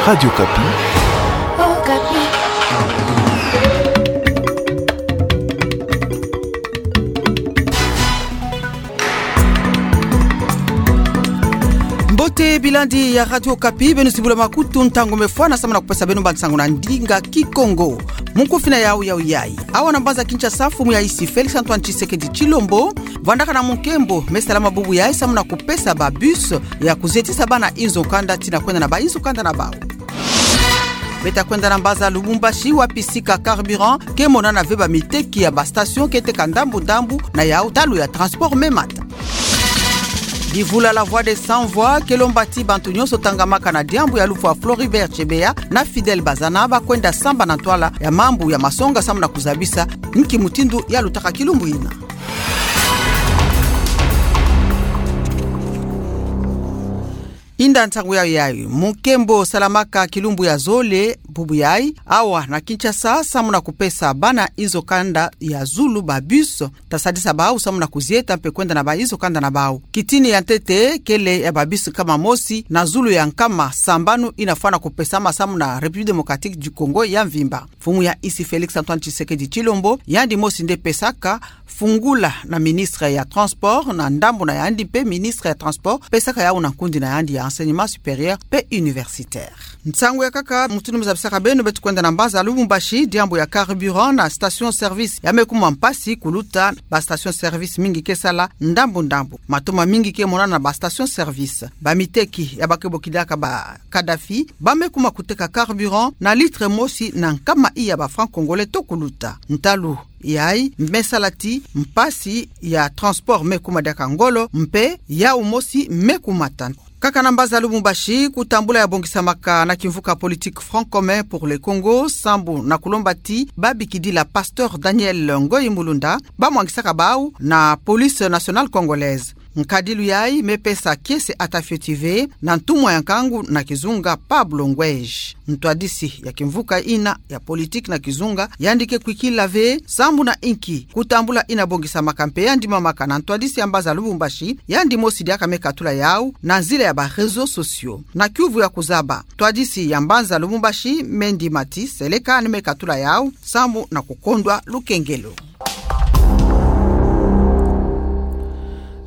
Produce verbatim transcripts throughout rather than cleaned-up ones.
Radio Okapi. Mbote bilandi ya Radio Okapi, beno si bula makutu, ntangu me fwana samu na kupesa beno bansangu na ndinga Kikongo. Mukufi na yau yau yayi. Awa na mbanza Kinshasa, mfumu ya insi Félix Antoine Tshisekedi Tshilombo vwandaka na munkembo me salama bubu yayi samu na kupesa ba bus ya kuzietisa bana inzo kanda tina kwenda na ba inzo kanda na bau. Beta kwenda na mbanza Lubumbashi, wapi sika carburant ke monana ve, ba miteki ya ba station ke teka ndambu ndambu, na yau ntalu ya transport me mata. Livula La Voix des Sans Voix ke lomba ti bantu nyonso tangamaka na diambu ya lufwa Floribert Chebeya na Fidèle Bazana ba kwenda samba na ntwala ya mambu ya masonga samu na kuzabisa nki mutindu ya lutaka kilumbu ina. Inda ntangu yayi yayi, munkembo salamaka kilumbu ya zole bubu yayi awa na Kinshasa samu na kupesa bana inzo kanda ya zulu ba bus, ta sadisa bau samu na kuzieta mpe kwenda na ba inzo kanda na bau. Kitini ya ntete kele ya ba bus nkama mosi na zulu ya nkama sambanu ina fwana kupesama samu na République Démocratique du Congo ya mvimba. Mfumu ya insi Félix Antoine Tshisekedi Tshilombo, yandi mosi nde pesaka fungula na ministre ya transport, na ndambu na yandi mpe ministre ya transport pesaka yau na nkundi na yandi ya enseignement supérieur mpe universitaire. Nsangu ya nkaka mutindu me zabisaka beno, beto kwenda na mbanza Lubumbashi, diambu ya carburant na station service ya me kuma mpasi kuluta, ba station service mingi ke sala ndambu ndambu. Matoma mingi ke monana na ba station service. Ba miteki ya ba ke bokilaka ba Kadhafi ba me kuma kuteka carburant na litre mosi na nkama i ya ba francs congolais to kuluta. Ntalu yayi me sala ti mpasi ya transport me kuma diaka ngolo mpe yau mosi me kumata. Nkaka na mbanza Lubumbashi, kutambula ya bongisamaka na kimvuka politique Front commun pour le Congo sambu na kulomba ti ba bikidila pasteur Daniel Ngoyi Mulunda ba mwangisaka bau na Police nationale congolaise. Nkadilu yayi me pesa kiese ata fioti ve na ntumwa ya nkangu na kizunga Pablo Ngweji. Ntwadisi ya kimvuka ina ya politique na kizunga yandi ke kwikila ve sambu na inki kutambula ina bongisamaka mpe yandi mamaka na ntwadisi ya mbanza Lubumbashi, yandi mosi diaka me katula yau na nzila ya ba réseaux sociaux. Na kiuvu ya kuzaba, ntwadisi ya mbanza Lubumbashi me ndima ti seleka ni me katula yau sambu na kukondwa lukengelo.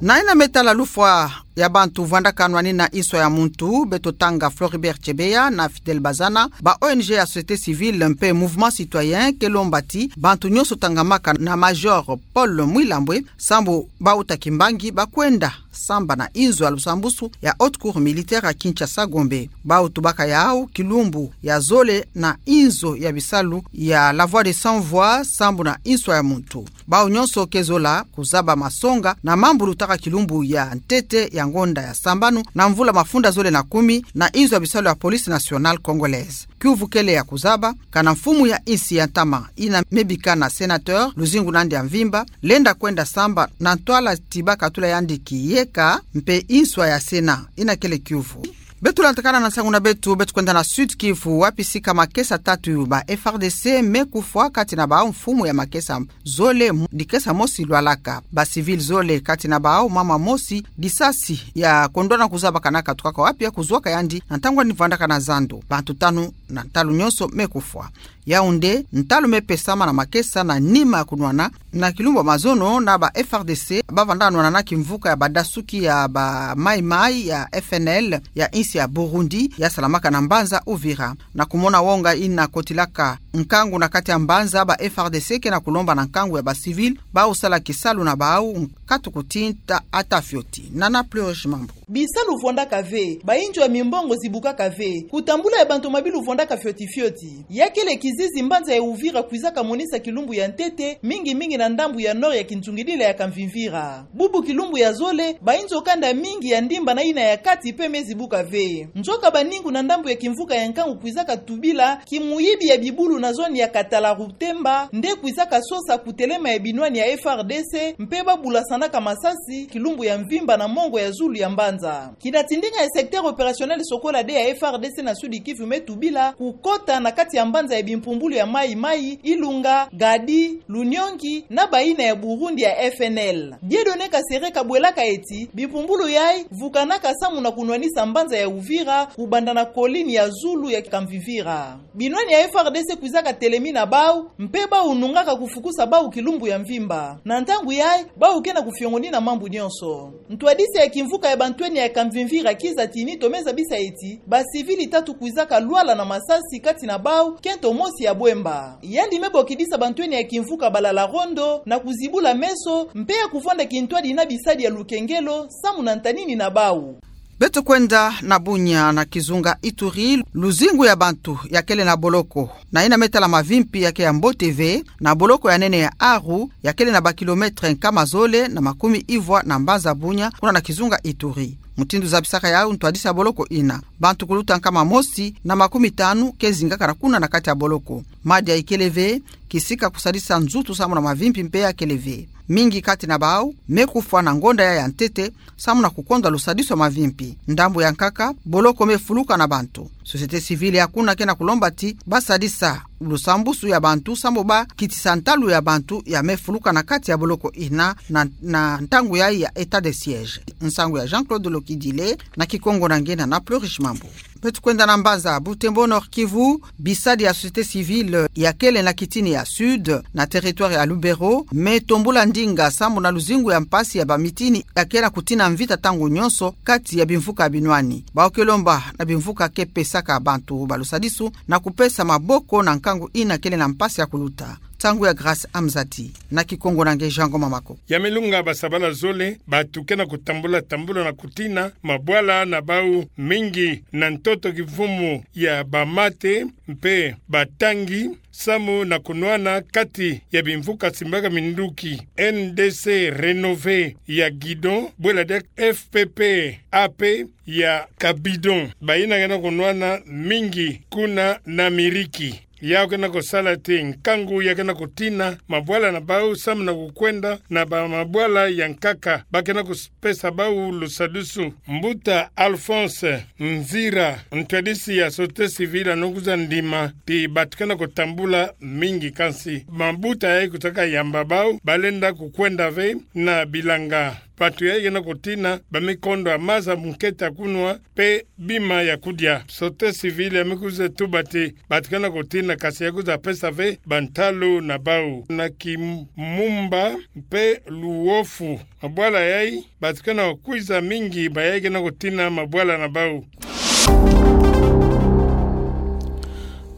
Na ina me tala lufwa ya bantu vwandaka nwanina inswa ya muntu, beto tanga Floribert Chebeya na Fidèle Bazana, ba O N G ya société civile mpe mouvement citoyen ke lomba ti bantu nyonso tangamaka na Major Paul Mwilambwe sambu ba uta kimbangi ba kwenda samba na inzo ya lusambusu ya Haute Cour militaire ya Kinshasa Gombe. Bau tubaka yau kilumbu ya zole na inzo ya bisalu ya La Voix des Sans Voix sambu na inswa ya muntu. Bau nyonso ke zola kuzaba masonga na mambu lutaka kilumbu ya ntete ya ngonda ya sambanu na mvula mafunda zole na kumi na inzo ya bisalu ya Police nationale congolaise. Kiuvu kele ya kuzaba, kana mfumu ya insi ya ntama ina me bika na sénateur luzingu na yandi ya mvimba, lenda kwenda samba na ntwala ti ba katula yandi kiyeka mpe inswa ya Sénat. Ina kele kiuvu. Beto lantakana na nsangu na beto, beto kwenda na Sud-Kivu, wapi sika makesa tatu ba F R D C me kufwa, kati na bau mfumu ya makesa zole, dikesa mosi lwalaka. Ba civil zole, kati na bau mama mosi, disasi ya kondwana kuzaba kana katukaka wapi ya kuzwaka yandi na ntangu yandi vwandaka na zando. Bantu tanu na ntalu nyonso me kufwa. Yaoundé, ntalu me pesama na makesa na nima ya kunwana na kilumbu ya mazono na ba F R D C ba vanda nwana na kimvuka ya badasuki ya ba Maï-Maï ya F N L ya insi ya Burundi ya salamaka na mbanza Uvira. Na kumona wonga ina kotilaka nkangu na kati ya mbanza, ba F R D C ke na kulomba na nkangu ya ba civil bau sala kisalu na bau nkatu kutinta ata fioti. Nana Plurish Mambu. Bisalu vwandaka ve, bainzo ya mimbongo zibukaka ve, kutambula ya bantu mabi luvwandaka fioti fioti. Ya kele kizizi mbanza ya Uvira kwizaka monisa kilumbu ya ntete, mingi mingi na ndambu ya nord ya kinzungidila ya Kamvimvira. Bubu kilumbu ya zole, bainzo kanda mingi ya ndimba na ina ya kati pe me zibuka ve. Nzoka baningu na ndambu ya kimvuka ya nkangu kwizaka tubila kimuyibi ya bibulu na zone ya Katala-Rutemba nde kwizaka sosa kutelema ya binwani ya F R D C, mpe ba bulasanaka masasi kilumbu ya mvimba na mongo ya zulu ya mbanza. Kina tindinga ya secteur opérationnel Sokola deux ya F R D C na Sud-Kivu me tubila, kukota na kati ya mbanza ya bimpumbulu ya Maï-Maï, Ilunga, Gadi, Luniongi, na bayina ya Burundi ya F N L. Dieudonné Kasereka bwelaka eti, bimpumbulu yayi vukanaka samu na kunwanisa mbanza ya Uvira, kubanda na colline ya zulu ya Kamvimvira. Binwani ya F R D C kwizaka telemi na bau, mpe bau nungaka kufukusa bau kilumbu ya mvimba. Na ntangu yayi, bau ke na kufiongonina mambu nyonso. Ntwadisi ya kimvuka ya bantwenia ya Kamvimvira Kiza Tini Tomé zabisa eti, ba civili tatu kwizaka lwala na masasi kati na bau, kento mosi ya bwemba. Yandi me bokidisa bantwenia ya kimvuka Balala Rondo na kuzibula meso, mpe ya kuvwanda kintwadi na bisadi ya lukengelo, samu na ntanini na bau. Beto kwenda na Bunia na kizunga Ituri, luzingu ya bantu yakele na boloko, na yina me tala mavimpi ya ke ya mbote ve, na boloko ya nene ya Aru, yakele na ba kilometre nkama zole na makumi ivwa na mbanza Bunia, kuna na kizunga Ituri. Mutindu zabisaka yau ntwadisi ya boloko yina, bantu kuluta nkama mosi na makumi tanu ke zingakana kuna na kati ya boloko. Madi ya ikele ve, kisika kusadisa nzutu samu na mavimpi mpe yakele ve. Mingi kati na bau me kufwa na ngonda ya ya ntete, samu na kukondwa lusadisu ya mavimpi. Ndambu ya nkaka, boloko me fuluka na bantu. Société civile ya kuna ke na kulomba ti basadisa lusambusu ya bantu, samu bakitisa ntalu ya bantu ya me fuluka na kati ya boloko yina na, na ntangu yayi ya état de siège. Nsangu ya Jean-Claude Lokidile, na Kikongo na nge na Fleury Shimambu. Beto kwenda na mbanza Butembo, Nord-Kivu, bisadi ya société civile yakele na kitini ya Sud, na territoire ya Lubero, me tombula ndinga samu na luzingu ya mpasi ya bamitini ya ke na kutina mvita ntangu nyonso kati ya bimvuka binwani. Bau ke lomba na bimvuka ke pesaka bantu ba lusadisu na kupesa maboko na nkangu yina kele na mpasi ya kuluta. Nsangu ya Grâce Amzati, na Kikongo na nge Jean Ngoma Mako. Ya me lunga basabala zole, bantu ke na kutambula-tambula na kutina mabwala na bau, mingi na ntoto kivumu ya bamate mpe batangi, samu na kunwana kati ya bimvuka simbaka minduki N D C Renové ya Guidon, bwela diaka F P P A P ya Cabidon. Bayina ke na kunwana mingi kuna na Miriki. Yau ke na kusala ti nkangu ya ke na kutina mabwala na bau samu na kukwenda na bamabwala ya nkaka, ba ke na kupesa bau lusadisu. Mbuta Alphonse Nzira, ntwadisi ya société civile, ano kwiza ndima ti bantu ke na kutambula mingi, kansi mabuta yayi kutaka yamba bau, balenda kukwenda ve na bilanga. Bantu yayi ke na kutina ba me kondwa maza munkete ya kunwa mpe bima ya kudia. Société civile ya me kwiza tuba ti bantu ke na kutina, kansi ya kwiza pesa ve bantalu na bau. Na Kimumba mpe Luofu, mabwala yayi, bantu ke na kwiza mingi, bayayi ke na kutina mabwala na bau.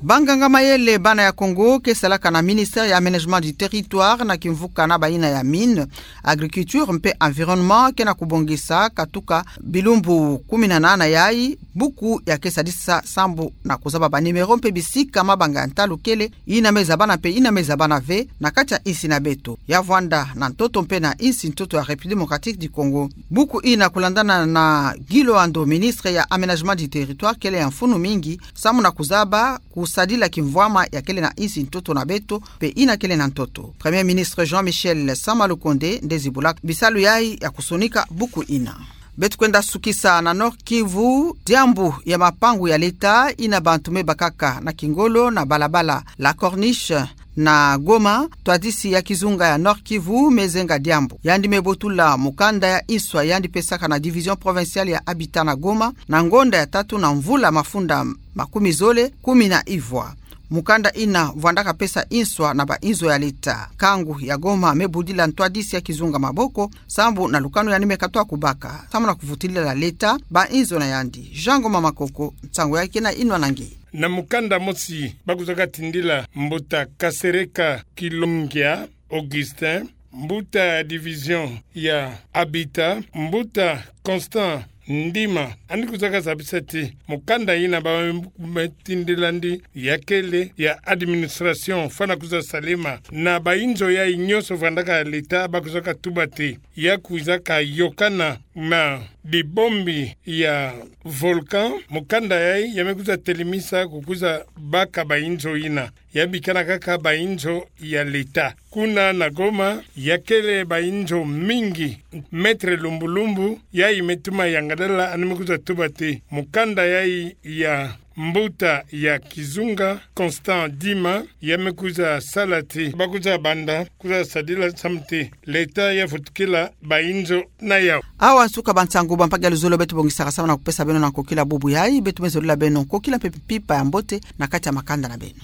Banganga mayele bana ya Kongo ke salaka na ministère ya Aménagement du Territoire na kimvuka na bayina ya Mines, Agriculture mpe Environnement ke na kubongisa katuka bilumbu kumi na nana yayi buku ya ke sadisa sambu na kuzaba ba numéro mpe bisika mabanga ya ntalu kele, yina me zabana mpe yina me zabana ve na kati ya insi na beto, ya vwanda na ntoto mpe na insi ntoto ya République Démocratique du Congo. Buku yina, kulandana na Guy Loando, ministre ya Aménagement du Territoire, kele ya mfunu mingi samu na kuzaba kusadila kimvwama ya kele na insi ntoto na beto mpe yina kele na ntoto. Premier ministre Jean-Michel Sama Lukonde nde zibula bisalu yayi ya kusonika buku yina. Beto kwenda sukisa na Nord-Kivu. Diambu ya mapangu ya l'État yina bantu me bakaka na kingolo na balabala La Corniche na Goma, ntwadisi ya kizunga ya Nord-Kivu me zenga diambu. Yandi me botula mukanda ya inswa yandi pesaka na Division Provinciale ya Habitat na Goma, na ngonda ya tatu na mvula mafunda makumi zole kumi na ivwa. Mukanda yina vwandaka pesa inswa na ba inzo ya l'État. Nkangu ya Goma me budila ntwadisi ya kizunga maboko, sambu na lukanu yandi me katoa kubaka samu na kuvutulila l'État ba inzo na yandi. Jean Ngoma Makoko, nsangu yayi ke na inwa na nge. Na mukanda mosi, ba kwizaka tindila mbuta Kasereka Kilongia Augustin, mbuta ya division ya Habitat, mbuta Constant Ndima, yandi kwizaka zabisa ti mukanda yina ba me tindila yandi ya kele ya administration fwana kwiza salama. Na ba inzo yayi nyonso vwandaka ya l'État, ba kwizaka tuba ti ya kwizaka yokana na dibombi ya volcan. Mukanda yayi ya me kwiza telemisa kukwiza baka ba inzo yina. Ya bikana kaka ba inzo ya l'État. Kuna na Goma, ya kele ba inzo mingi, mètre lumbu-lumbu, yayi me tuma yangadala, yandi me kwiza tuba ti mukanda yayi ya Mbuta ya Kizunga, Constant Dima, ya me kwiza sala ti, ba kwiza banda, kwiza sadila samu ti, l'État ya futukila, ba inzo na yau. Awa suka ba nsangu ba mpagi ya luzolo beto bongisaka samu na kupesa beno na nkokila bubu yayi, beto me zolila beno nkokila mpe mpimpa ya mbote, na kati ya makanda na beno.